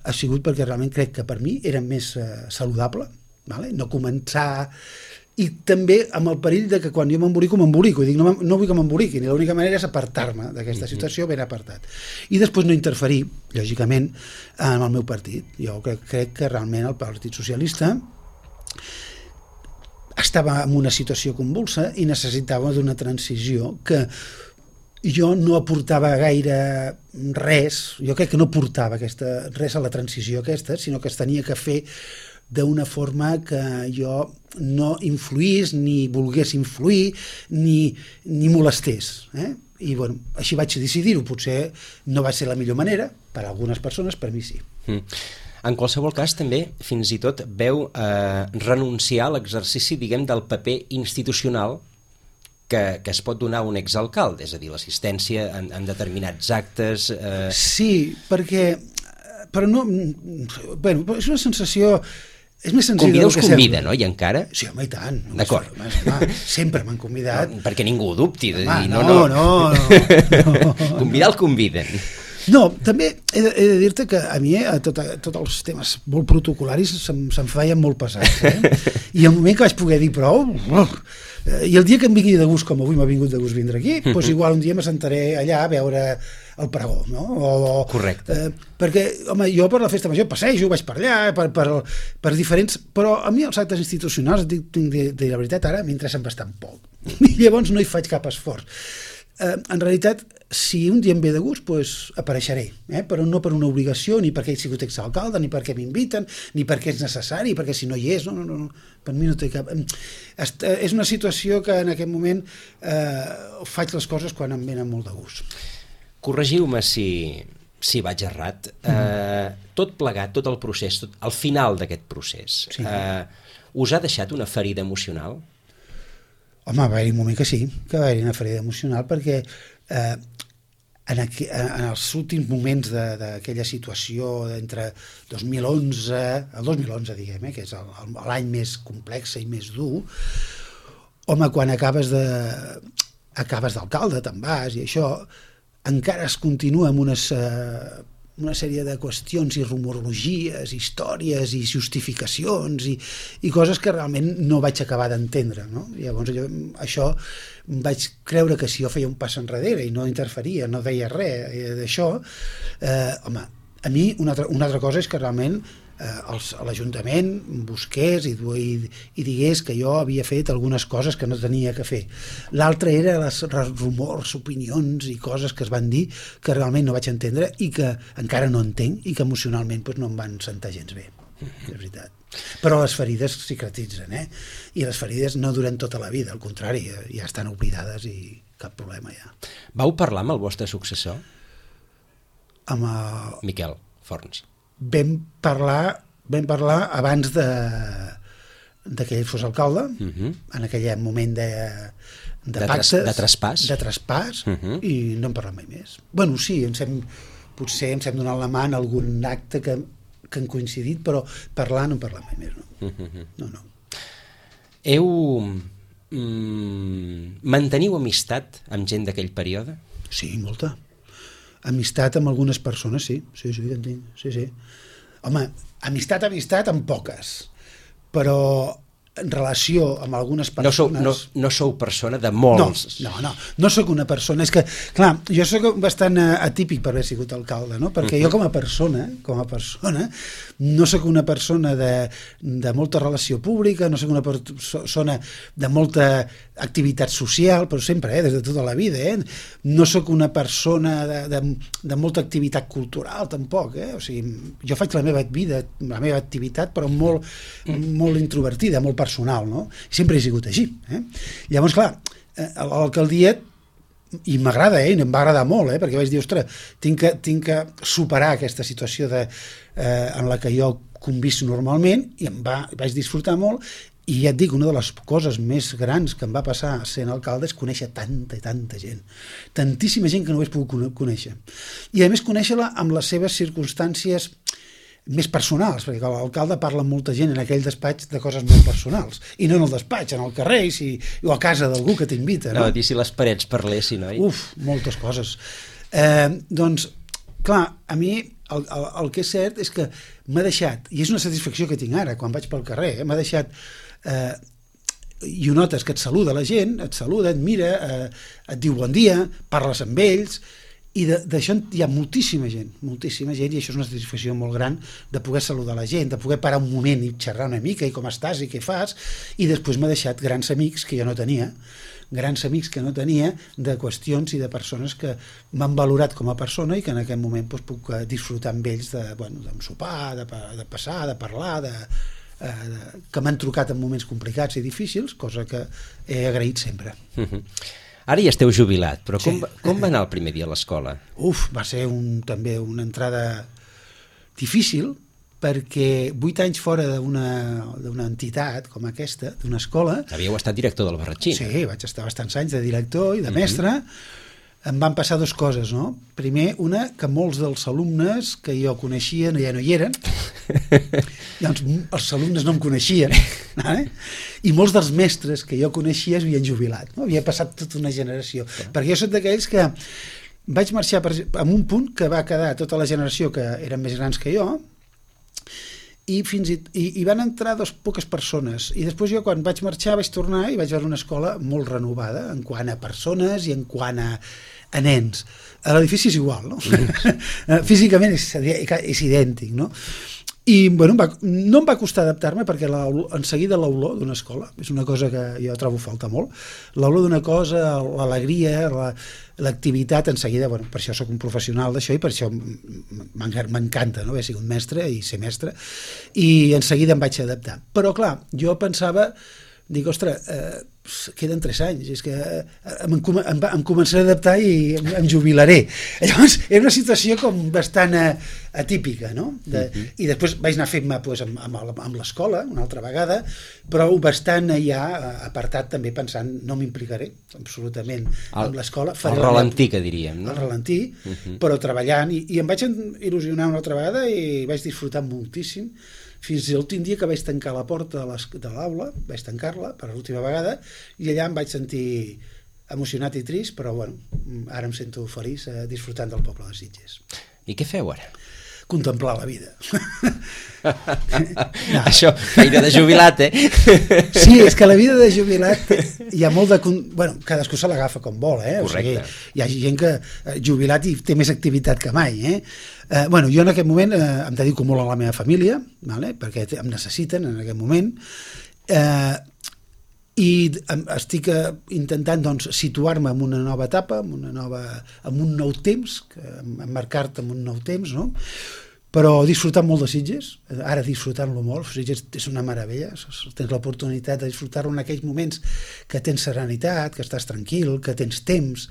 ha sigut perquè realment crec que per mi era més eh, saludable, vale? No començar, i també amb el perill de que quan jo m'embolico, m'embolico, i dic, no, no vull que m'emboliquin, i l'única manera és apartar-me d'aquesta situació ben apartat. I després no interferir, lògicament, en el meu partit. Jo crec, crec que realment el Partit Socialista estava en una situació convulsa i necessitava d'una transició que jo no aportava gaire res, jo crec que no aportava aquesta, res a la transició aquesta, sinó que es tenia que fer d'una forma que jo no influís, ni volgués influir, ni, ni molestés. Eh? I bueno, així vaig decidir-ho. Potser no va ser la millor manera, per a algunes persones, per mi sí. Mm. En qualsevol cas, també, fins i tot, veu eh, renunciar a l'exercici, diguem, del paper institucional que, que es pot donar a un exalcalde, és a dir, l'assistència en, en determinats actes... Eh... Sí, perquè... Però no... Bueno, és una sensació... És més senzill Convida del us que convida, sembla. no? I encara? Sí, home, i tant. D'acord. Home, sempre m'han convidat. No, perquè ningú ho dubti. De Home, dir, no, no, no, no, no, no. Convidar el conviden. No, també he de, he de dir-te que a mi eh, tot, tots els temes molt protocolaris se'm, se'm feien molt pesats. Eh? I el moment que vaig poder dir prou... I el dia que em vingui de gust, com avui m'ha vingut de gust vindre aquí, uh-huh. doncs igual un dia m'assentaré allà a veure el pregó, no? O, correcte. Eh, perquè, home, jo per la festa major passejo, vaig per allà, per, per, per diferents... Però a mi els actes institucionals, dic, tinc de, de la veritat, ara m'interessen bastant poc. I llavors no hi faig cap esforç. Eh, en realitat, si un dia em ve de gust, doncs apareixeré, eh? Però no per una obligació, ni perquè he sigut exalcalde, ni perquè m'inviten, ni perquè és necessari, perquè si no hi és, no, no, no, per mi no té cap... És una situació que en aquest moment eh, faig les coses quan em venen molt de gust. Corregiu-me si, si vaig errat. Mm. Eh, tot plegat, tot el procés, tot, al final d'aquest procés, sí. eh, us ha deixat una ferida emocional? Home, va haver-hi un moment que sí, que va haver-hi una ferida emocional, perquè eh, en, aqu en els últims moments d'aquella situació entre dos mil onze, el dos mil onze, diguem, eh, que és l'any més complex i més dur, home, quan acabes de acabes d'alcalde, te'n vas, i això encara es continua amb unes... Eh, una sèrie de qüestions i rumorologies, històries i justificacions i, i coses que realment no vaig acabar d'entendre, no? I llavors jo, això vaig creure que si jo feia un pas enrere i no interferia, no deia res d'això, eh, home, a mi una altra, una altra cosa és que realment eh, l'Ajuntament busqués i, i, i digués que jo havia fet algunes coses que no tenia que fer. L'altra era les rumors, opinions i coses que es van dir que realment no vaig entendre i que encara no entenc i que emocionalment doncs, no em van sentar gens bé, és veritat. Però les ferides cicatritzen, eh? I les ferides no duren tota la vida, al contrari, ja estan oblidades i cap problema ja. Vau parlar amb el vostre successor? Amb el... Miquel Forns. Vam parlar, vam parlar abans de, de que ell fos alcalde, uh -huh. en aquell moment de, de, de pactes, de traspàs, de traspàs uh -huh. i no en parlem mai més. Bueno, sí, ens hem, potser ens hem donat la mà en algun acte que, que han coincidit, però parlar no en parlem mai més, no. Uh -huh. No, no. Heu... Mm, manteniu amistat amb gent d'aquell període? Sí, molta. Amistat amb algunes persones, sí, sí, sí, entenc, sí, sí. Home, amistat, amistat amb poques, però en relació amb algunes persones... No sou, no, no sou persona de molts... No, no, no, no sóc una persona... És que, clar, jo sóc bastant atípic per haver sigut alcalde, no? Perquè uh -huh. jo com a persona, com a persona, no sóc una persona de, de molta relació pública, no sóc una persona de molta activitat social, però sempre, eh, des de tota la vida, eh? No sóc una persona de, de, de molta activitat cultural, tampoc, eh? O sigui, jo faig la meva vida, la meva activitat, però molt, molt introvertida, molt personal, no? Sempre he sigut així, eh? Llavors, clar, a l'alcaldia, i m'agrada, eh? I em va agradar molt, eh? Perquè vaig dir, ostres, tinc que, tinc que superar aquesta situació de, eh, en la que jo convisc normalment, i em va, vaig disfrutar molt. I ja et dic, una de les coses més grans que em va passar sent alcalde és conèixer tanta i tanta gent. Tantíssima gent que no ho hagués pogut conèixer. I a més conèixer-la amb les seves circumstàncies més personals, perquè l'alcalde parla amb molta gent en aquell despatx de coses molt personals. I no en el despatx, en el carrer i si, o a casa d'algú que t'invita. No? No, dir si les parets parlessin, oi? Uf, moltes coses. Eh, doncs, clar, a mi el, el, el que és cert és que m'ha deixat, i és una satisfacció que tinc ara, quan vaig pel carrer, eh, m'ha deixat... Eh, i ho notes que et saluda la gent, et saluda, et mira, eh, et diu bon dia, parles amb ells, i d'això hi ha moltíssima gent, moltíssima gent, i això és una satisfacció molt gran de poder saludar la gent, de poder parar un moment i xerrar una mica, i com estàs, i què fas, i després m'ha deixat grans amics que jo no tenia, grans amics que no tenia de qüestions i de persones que m'han valorat com a persona i que en aquest moment doncs, puc disfrutar amb ells de, bueno, d'un sopar, de, de passar, de parlar, de... Eh, que m'han trucat en moments complicats i difícils, cosa que he agraït sempre. Uh-huh. Ara ja esteu jubilat, però com, sí. com va anar el primer dia a l'escola? Uf, va ser un, també una entrada difícil, perquè vuit anys fora d'una entitat com aquesta, d'una escola... Havíeu estat director del Barratxí. Sí, vaig estar bastants anys de director i de mestre. Uh-huh. Em van passar dues coses, no? Primer, una, que molts dels alumnes que jo coneixia ja no hi eren. Llavors, els alumnes no em coneixien. Eh? I molts dels mestres que jo coneixia es havien jubilat. No? Havia passat tota una generació. Sí. Perquè jo soc d'aquells que vaig marxar per, en un punt que va quedar tota la generació que eren més grans que jo, i fins i, i, i van entrar dos poques persones, i després jo quan vaig marxar vaig tornar i vaig veure una escola molt renovada en quant a persones i en quant a, a nens. L'edifici és igual, no? Mm. Físicament és, és idèntic, no? I bueno, va, no em va costar adaptar-me perquè la, en seguida l'olor d'una escola és una cosa que jo trobo falta molt, l'olor d'una cosa, l'alegria, l'activitat, en seguida, bueno, per això sóc un professional d'això i per això m'encanta, no? Haver sigut mestre i ser mestre, i en seguida em vaig adaptar. Però clar, jo pensava, dic, ostres, eh, queden tres anys, és que em, em, em començaré a adaptar i em, em jubilaré. Llavors, era una situació com bastant atípica, no? De, uh-huh. I després vaig anar fent-me pues, amb, amb, amb l'escola, una altra vegada, però bastant ja apartat també pensant, no m'implicaré absolutament el, amb l'escola. El ralentí, que diríem, no? El ralentí, uh-huh. Però treballant, i, i em vaig il·lusionar una altra vegada i vaig disfrutar moltíssim, fins l'últim dia que vaig tancar la porta de l'aula, vaig tancar-la per l'última vegada, i allà em vaig sentir emocionat i trist, però bueno, ara em sento feliç eh, disfrutant del poble de Sitges. I què feu ara? Contemplar la vida. No. Això, feina de jubilat, eh? Sí, és que la vida de jubilat hi ha molt de... Bueno, cadascú se l'agafa com vol, eh? Correcte. O sigui, hi ha gent que jubilat i té més activitat que mai, eh? Eh, bueno, jo en aquest moment eh, em dedico molt a la meva família, vale? Perquè em necessiten en aquest moment, eh, i estic intentant doncs, situar-me en una nova etapa, en, una nova, en un nou temps, emmarcar-te en un nou temps, no? Però disfrutant molt de Sitges, ara disfrutant-lo molt, Sitges és una meravella, tens l'oportunitat de disfrutar-lo en aquells moments que tens serenitat, que estàs tranquil, que tens temps,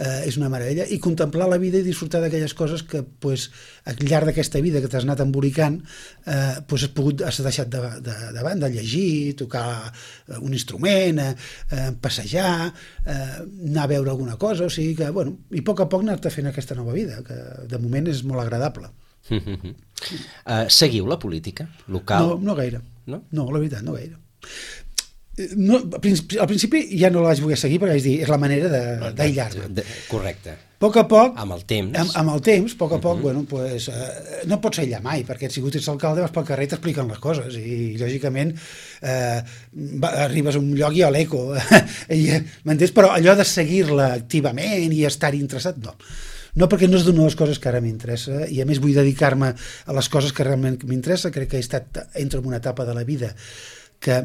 eh, és una meravella, i contemplar la vida i disfrutar d'aquelles coses que pues, al llarg d'aquesta vida que t'has anat embolicant eh, pues, has, pogut, has deixat de, de, de banda, llegir, tocar un instrument, eh, passejar, eh, anar a veure alguna cosa, o sigui que, bueno, i a poc a poc anar-te fent aquesta nova vida, que de moment és molt agradable. Uh, seguiu la política local? No, no gaire. No? No, la veritat, no gaire. No, al principi ja no la vaig voler seguir perquè vaig dir, és la manera d'aïllar-me. Correcte. A poc a poc, amb el temps, amb, amb el temps, a poc a poc, uh-huh. bueno, pues, eh, no pots aïllar mai, perquè si ets alcalde vas pel carrer i t'expliquen les coses, i lògicament eh, va, arribes a un lloc i a l'eco, m'entens? Però allò de seguir-la activament i estar-hi interessat, no. No, perquè no és d'una de les coses que ara m'interessa, i a més vull dedicar-me a les coses que realment m'interessa. Crec que he estat, entro en una etapa de la vida que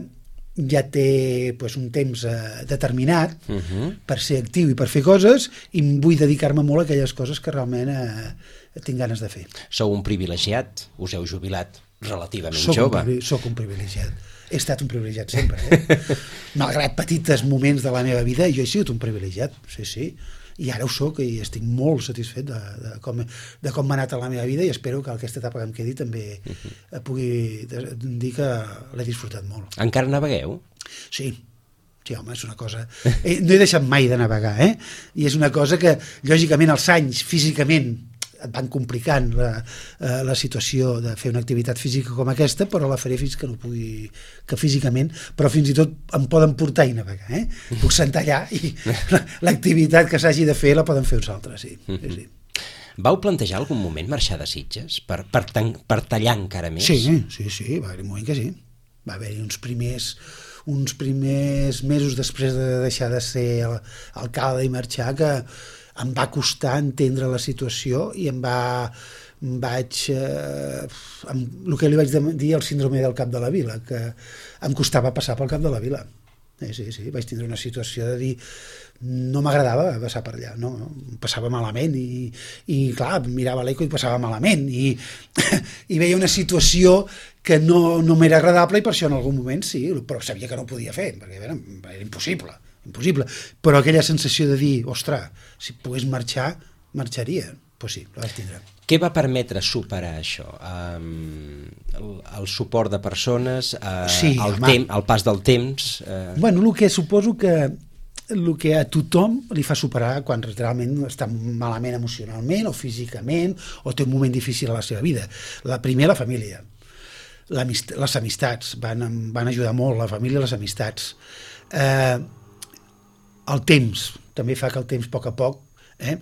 ja té pues, un temps eh, determinat uh-huh. per ser actiu i per fer coses, i vull dedicar-me molt a aquelles coses que realment eh, tinc ganes de fer. Sou un privilegiat, us heu jubilat relativament soc jove. Un, soc un privilegiat. He estat un privilegiat sempre. Eh? Malgrat petits moments de la meva vida, jo he sigut un privilegiat, sí, sí. I ara ho soc i estic molt satisfet de, de, com, de com m'ha anat a la meva vida, i espero que aquesta etapa que em quedi també uh-huh. pugui dir que l'he disfrutat molt. Encara navegueu? Sí, sí, home, és una cosa... Eh, no he deixat mai de navegar, eh? I és una cosa que, lògicament, els anys físicament et van complicant la, la situació de fer una activitat física com aquesta, però la faré fins que no pugui, que físicament, però fins i tot em poden portar i navegar, eh? Puc sentar allà i l'activitat que s'hagi de fer la poden fer uns altres, sí. sí, sí. Vau plantejar algun moment marxar de Sitges per, per, tan, per tallar encara més? Sí, sí, sí, va haver un moment que sí. Va haver-hi uns primers uns primers mesos després de deixar de ser alcalde i marxar que em va costar entendre la situació, i em va em vaig eh, em, el que li vaig dir el síndrome del cap de la vila, que em costava passar pel cap de la vila. Sí, sí, sí, vaig tindre una situació de dir no m'agradava passar per allà, no? Passava malament, i, i clar, mirava l'eco i passava malament, i, i veia una situació que no, no m'era agradable, i per això en algun moment sí, però sabia que no ho podia fer, perquè era, era impossible. impossible, però aquella sensació de dir, ostres, si pogués marxar, marxaria, doncs sí, la vaig tindre. Què va permetre superar això? Um, el, el suport de persones, uh, sí, el, tem, el pas del temps... Uh... Bueno, el que suposo que el que a tothom li fa superar quan realment està malament emocionalment o físicament, o té un moment difícil a la seva vida. La primera, la família. Les amistats van, van ajudar molt, la família i les amistats. Eh, el temps, també fa que el temps a poc a poc, eh?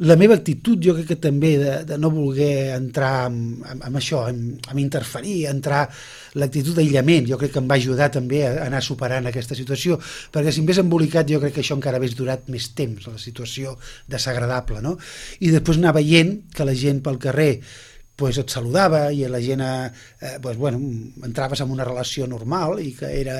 La meva actitud jo crec que també de, de no voler entrar amb, amb, amb això, amb, amb interferir, entrar l'actitud d'aïllament, jo crec que em va ajudar també a anar superant aquesta situació, perquè si em hagués embolicat jo crec que això encara hagués durat més temps, la situació desagradable, no? I després anar veient que la gent pel carrer pues et saludava, i la gent eh, pues, bueno, entraves en una relació normal, i que era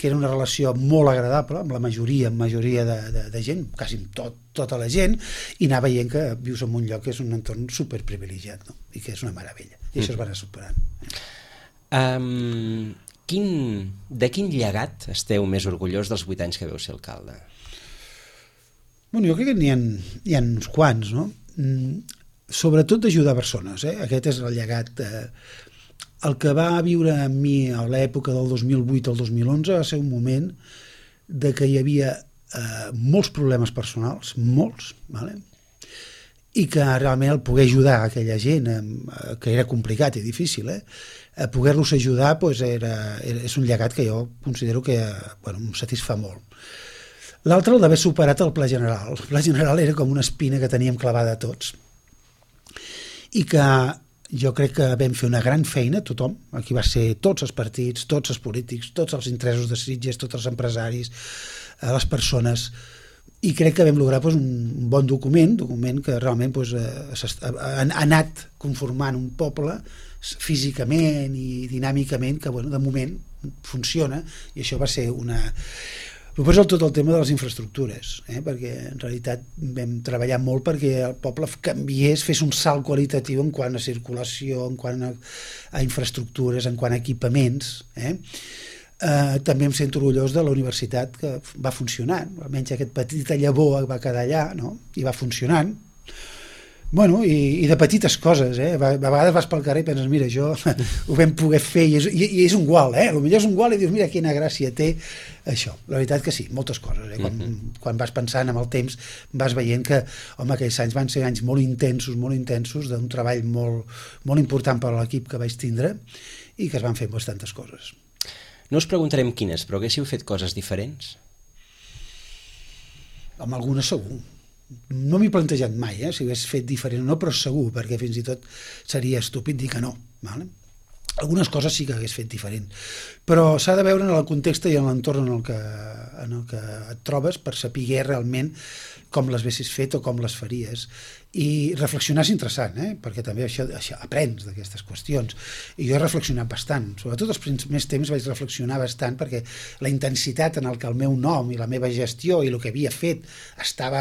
que era una relació molt agradable amb la majoria, amb majoria de, de, de gent, quasi amb tot, tota la gent, i anar veient que vius en un lloc que és un entorn superprivilegiat, no? I que és una meravella, i mm. això es va anar superant. Um, quin, de quin llegat esteu més orgullós dels vuit anys que veu ser alcalde? Bueno, jo crec que n'hi ha, n'hi ha uns quants, no? Mm, sobretot d'ajudar persones, eh? Aquest és el llegat... Eh, El que va viure amb mi a l'època del dos mil vuit al dos mil onze va ser un moment de que hi havia eh, molts problemes personals, molts, vale? I que realment el poder ajudar a aquella gent, eh, que era complicat i difícil, eh, a poder-los ajudar pues, era, era, és un llegat que jo considero que bueno, em satisfà molt. L'altre, el d'haver superat el Pla General. El Pla General era com una espina que teníem clavada a tots, i que jo crec que vam fer una gran feina, tothom, aquí va ser tots els partits, tots els polítics, tots els interessos de Sitges, tots els empresaris, les persones, i crec que vam lograr pues, un bon document, document que realment pues, ha anat conformant un poble físicament i dinàmicament, que bueno, de moment funciona, i això va ser una... Després tot el tema de les infraestructures, eh? Perquè en realitat vam treballar molt perquè el poble canviés, fes un salt qualitatiu en quant a circulació, en quant a, a infraestructures, en quant a equipaments. Eh? Eh, també em sento orgullós de la universitat que va funcionant, almenys aquest petita llavor va quedar allà, no? I va funcionant. Bueno, i, i de petites coses, eh? A vegades vas pel carrer i penses, mira, això ho vam poder fer, i és, i, i és un gual, eh? Potser és un gual i dius, mira quina gràcia té això. La veritat que sí, moltes coses, eh? Quan, mm-hmm. quan vas pensant amb el temps, vas veient que, home, aquells anys van ser anys molt intensos, molt intensos, d'un treball molt, molt important per a l'equip que vaig tindre i que es van fer bastantes coses. No us preguntarem quines, però haguéssiu fet coses diferents? Amb algunes segur. No m'he plantejat mai, eh, si hagués fet diferent o no, però segur, perquè fins i tot seria estúpid dir que no. Vale? Algunes coses sí que hagués fet diferent, però s'ha de veure en el context i en l'entorn en el que, en el que et trobes per saber realment com les haguessis fet o com les faries. I reflexionar és interessant, eh? Perquè també això, això aprens d'aquestes qüestions. I jo he reflexionat bastant. Sobretot els primers temps vaig reflexionar bastant perquè la intensitat en el que el meu nom i la meva gestió i el que havia fet estava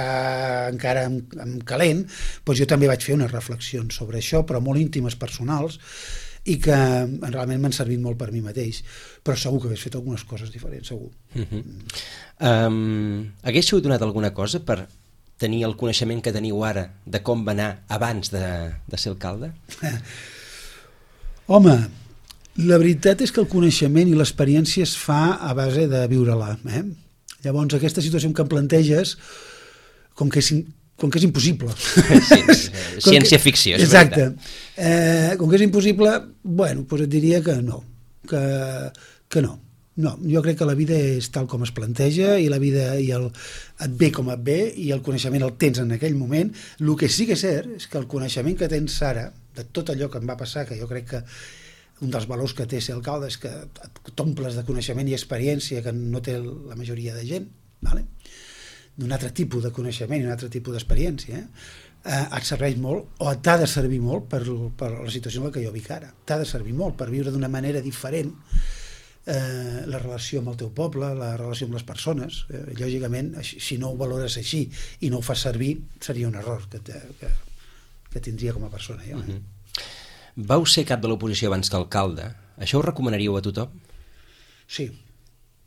encara en, en calent, doncs jo també vaig fer unes reflexions sobre això, però molt íntimes, personals, i que realment m'han servit molt per mi mateix, però segur que hagués fet algunes coses diferents, segur. Uh-huh. um, haguéssiu donat alguna cosa per tenir el coneixement que teniu ara de com va anar abans de, de ser alcalde? Home, la veritat és que el coneixement i l'experiència es fa a base de viure-la. Eh? Llavors, aquesta situació que em planteges, com que és, com que és impossible. Sí, ciència-ficció, és exacte. Eh, com que és impossible, bueno, doncs et diria que no, que, que no. No, jo crec que la vida és tal com es planteja i la vida i el, et ve com et ve i el coneixement el tens en aquell moment. El que sí que és cert és que el coneixement que tens ara, de tot allò que em va passar, que jo crec que un dels valors que té ser alcalde és que t'omples de coneixement i experiència que no té la majoria de gent, vale? D'un altre tipus de coneixement i un altre tipus d'experiència, eh? Eh, et serveix molt, o t'ha de servir molt per, per la situació en la que jo vic ara. T'ha de servir molt per viure d'una manera diferent eh, la relació amb el teu poble, la relació amb les persones. Eh, lògicament, si no ho valores així i no ho fas servir, seria un error que, que, que tindria com a persona. Jo, eh? Uh-huh. Vau ser cap de l'oposició abans que alcalde. Això ho recomanaríeu a tothom? Sí,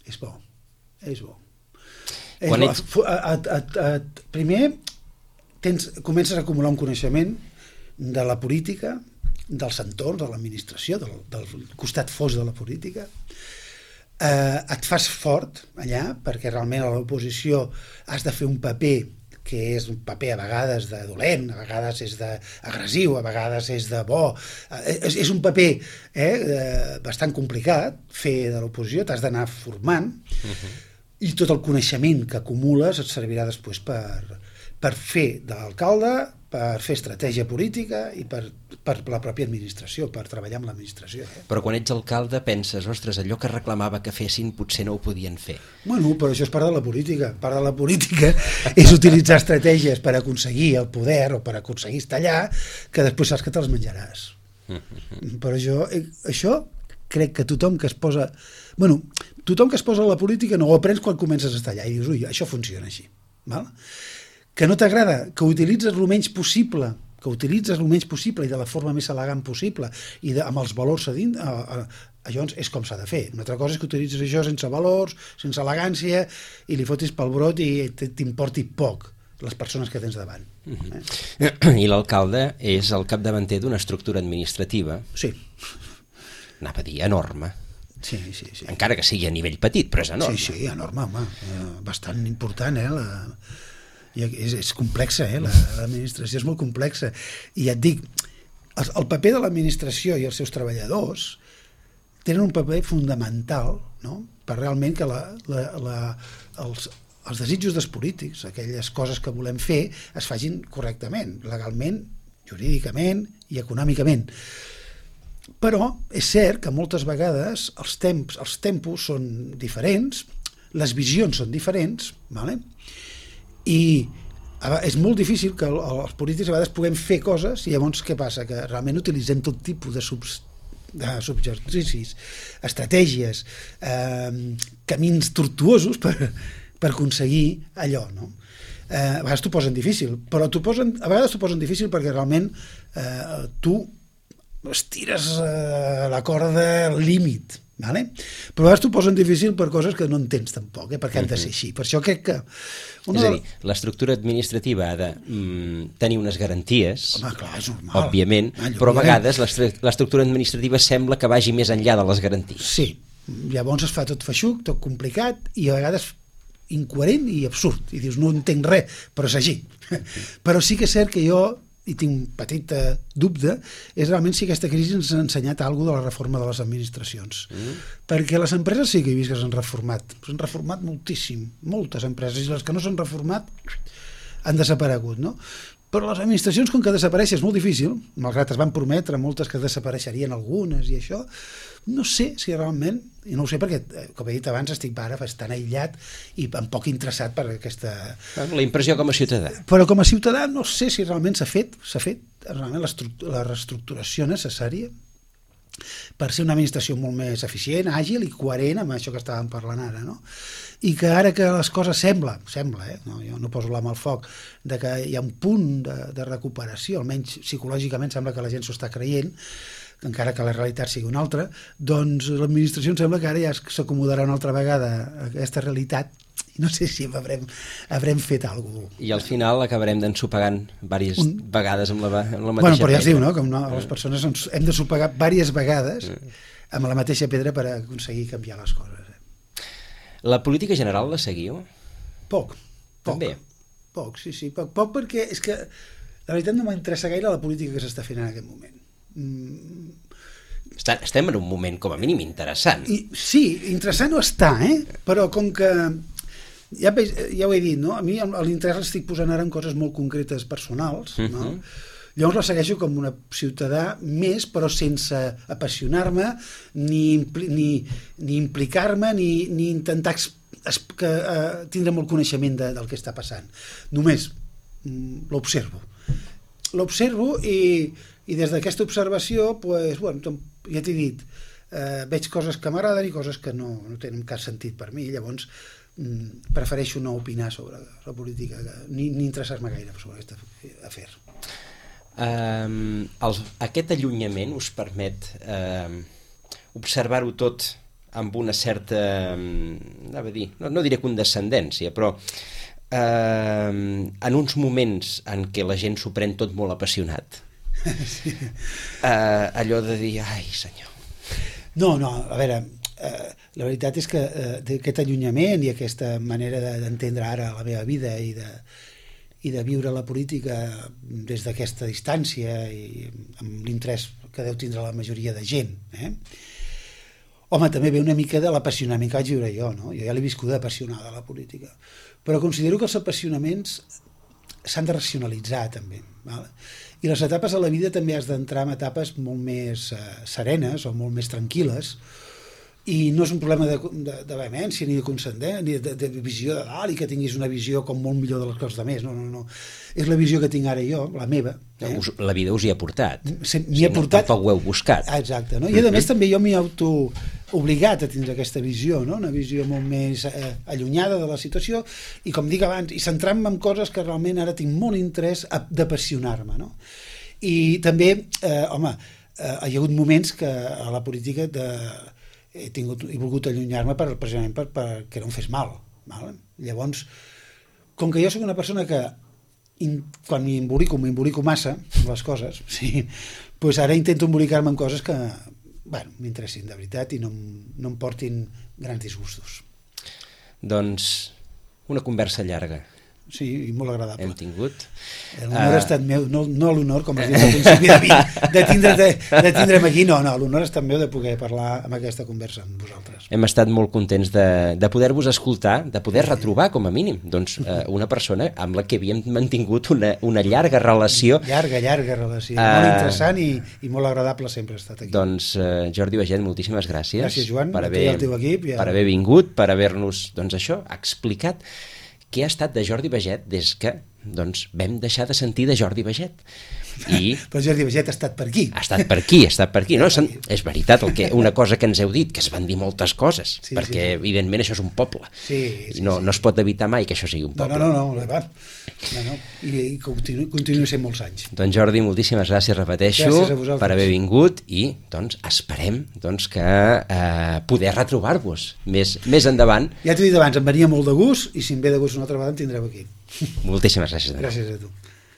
és bo. És bo. Quan és bo. Et... A, a, a, a, primer, tens, comences a acumular un coneixement de la política, dels entorns, de l'administració, del, del costat fos de la política. Eh, et fas fort allà, perquè realment a l'oposició has de fer un paper que és un paper a vegades de dolent, a vegades és d'agressiu, a vegades és de bo. Eh, és, és un paper eh, bastant complicat fer de l'oposició, t'has d'anar formant, uh-huh. i tot el coneixement que acumules et servirà després per, per fer de l'alcalde, per fer estratègia política i per, per la pròpia administració, per treballar amb l'administració. Eh? Però quan ets alcalde penses, ostres, allò que reclamava que fessin potser no ho podien fer. Bueno, però això és part de la política. Part de la política és utilitzar estratègies per aconseguir el poder o per aconseguir estar allà, que després saps que te'ls menjaràs. Però jo, això crec que tothom que es posa... Bueno, tothom que es posa a la política no ho aprens quan comences a estar allà i dius, ui, això funciona així. Val? Que no t'agrada, que utilitzes el menys possible, que utilitzes el menys possible i de la forma més elegant possible i de, amb els valors a dins, a, a, llavors és com s'ha de fer. Una altra cosa és que utilitzes això sense valors, sense elegància, i li fotis pel brot i t'importi poc les persones que tens davant. Uh-huh. eh? I l'alcalde és el capdavanter d'una estructura administrativa. Sí. Anava a dir enorme. Sí, sí, sí. Encara que sigui a nivell petit, però és enorme. Sí, sí, enorme, home. Eh, bastant important, eh, la... I és, és complexa, eh? L'administració és molt complexa. I ja et dic, el, el paper de l'administració i els seus treballadors tenen un paper fundamental, no? Per realment que la, la, la, els, els desitjos dels polítics, aquelles coses que volem fer, es facin correctament, legalment, jurídicament i econòmicament. Però és cert que moltes vegades els temps, els tempos són diferents, les visions són diferents, ¿vale? I és molt difícil que els polítics a vegades puguem fer coses i llavors què passa? Que realment utilitzem tot tipus de, subs, de subjercicis, estratègies, eh, camins tortuosos per, per aconseguir allò, no? Eh, a vegades t'ho posen difícil, però t'ho posen, a vegades t'ho posen difícil perquè realment eh, tu estires eh, la corda al límit, Vale? Però a vegades t'ho posen difícil per coses que no entens tampoc, eh? Perquè han de ser així. Per això crec que... Una... És a dir, l'estructura administrativa ha de mm, tenir unes garanties, home, clar, és normal. òbviament, ah, però a vegades l'estructura administrativa sembla que vagi més enllà de les garanties. Sí, llavors es fa tot feixuc, tot complicat, i a vegades incoherent i absurd. I dius, no entenc res, però és així. Però sí que és cert que jo... i tinc un petit eh, dubte, és realment si aquesta crisi ens ha ensenyat alguna cosa de la reforma de les administracions. Mm. Perquè les empreses sí que he vist que s'han reformat. S'han reformat moltíssim, moltes empreses, i les que no s'han reformat han desaparegut, no? Però les administracions, com que desapareix és molt difícil, malgrat es van prometre moltes que desapareixerien algunes i això, no sé si realment, i no ho sé perquè, com he dit abans, estic ara bastant aïllat i un poc interessat per aquesta... La impressió com a ciutadà. Però com a ciutadà no sé si realment s'ha fet, s'ha fet realment la reestructuració necessària per ser una administració molt més eficient, àgil i coherent amb això que estàvem parlant ara, no? I que ara que les coses sembla, sembla, eh? No, jo no poso la mà al foc, de que hi ha un punt de, de recuperació, almenys psicològicament sembla que la gent s'ho està creient, encara que la realitat sigui una altra, doncs l'administració em sembla que ara ja s'acomodarà una altra vegada a aquesta realitat i no sé si haurem, haurem fet alguna cosa. I al final acabarem d'ensopegant diverses un... vegades amb la, amb la mateixa bueno, però ja pedra. es diu, no? Com no, les persones ens hem de sopegar diverses vegades amb la mateixa pedra per aconseguir canviar les coses. Eh? La política general la seguiu? Poc. Poc. També? Poc, sí, sí. Poc, poc perquè és que la veritat no m'interessa gaire la política que s'està fent en aquest moment. Mm. Està, estem en un moment com a mínim interessant. I, sí, interessant ho està, eh? Però com que ja, ja ho he dit, no? A mi l'interès l'estic posant ara en coses molt concretes personals, no? Uh-huh. Llavors la segueixo com una ciutadà més, però sense apassionar-me ni, ni, ni implicar-me ni, ni intentar es, es, que, uh, tindre molt coneixement de, del que està passant. Només mm, l'observo. L'observo i i des d'aquesta observació, pues, bueno, ja t'he dit, eh, veig coses que m'agraden i coses que no, no tenen cap sentit per mi, llavors mm, prefereixo no opinar sobre la política, ni, ni interessar-me gaire sobre aquest afer. Um, el, aquest allunyament us permet um, observar-ho tot amb una certa, um, anava a dir, no, no diré condescendència, però um, en uns moments en què la gent s'ho pren tot molt apassionat, sí. uh, allò de dir, ai senyor. No, no, a veure, uh, la veritat és que uh, aquest allunyament i aquesta manera d'entendre ara la meva vida i de, i de viure la política des d'aquesta distància i amb l'interès que deu tindre la majoria de gent, eh? Home, també ve una mica de l'apassionament que vaig viure jo, no? Jo ja l'he viscut apassionada a la política, però considero que els apassionaments s'han de racionalitzar també, val? I les etapes a la vida també has d'entrar en etapes molt més eh, serenes o molt més tranquil·les, i no és un problema de, de, de vehemència ni de conscendent, ni de, de, de visió de dalt i que tinguis una visió com molt millor de les coses de més, no, no, no. És la visió que tinc ara jo, la meva. Eh? Us, la vida us hi ha portat. Se, m'hi ha sí, portat. No, tampoc ho heu buscat. Exacte, no? I a més també jo m'hi auto obligat a tindre aquesta visió, no? Una visió molt més eh, allunyada de la situació i, com dic abans, i centrar-me en coses que realment ara tinc molt interès d'apassionar-me, no? I també, eh, home, eh, hi ha hagut moments que a la política de, he, tingut, he volgut allunyar-me per, precisament per, per que no em fes mal, val? Llavors, com que jo soc una persona que in, quan m'embolico, m'embolico massa amb les coses, sí, doncs ara intento embolicar-me en coses que bueno, m'interessin de veritat i no, no em portin grans disgustos. Doncs una conversa llarga. Sí, i molt agradable. Hem tingut. L'honor uh... ha estat meu, no, no l'honor, com has dit al principi de, mi, de, tindre, de, de tindre'm aquí, no, no, l'honor ha estat meu de poder parlar amb aquesta conversa amb vosaltres. Hem estat molt contents de, de poder-vos escoltar, de poder retrobar, com a mínim, doncs, uh, una persona amb la que havíem mantingut una, una llarga relació. Llarga, llarga relació, uh... molt interessant i, i molt agradable sempre ha estat aquí. Doncs, uh, Jordi Baget, moltíssimes gràcies. Gràcies, Joan, per a haver, tu i al teu equip. Ja... Per haver vingut, per haver-nos, doncs això, explicat què ha estat de Jordi Baget des que doncs vam deixar de sentir de Jordi Baget. I però Jordi Baget ha estat per aquí. Ha estat per aquí, ha estat per aquí. No? És veritat, el que, una cosa que ens heu dit, que es van dir moltes coses, sí, perquè sí. evidentment això és un poble. Sí, sí, no, sí. no es pot evitar mai que això sigui un poble. No, no, no, no, no, no, no. I, i continua, continua sent molts anys. Doncs Jordi, moltíssimes gràcies, repeteixo, gràcies per haver vingut i doncs esperem doncs, que eh, poder retrobar-vos més, més endavant. Ja t'ho he dit abans, em venia molt de gust i si em ve de gust una altra vegada em tindreu aquí. Moltíssimes gràcies. Gràcies a tu.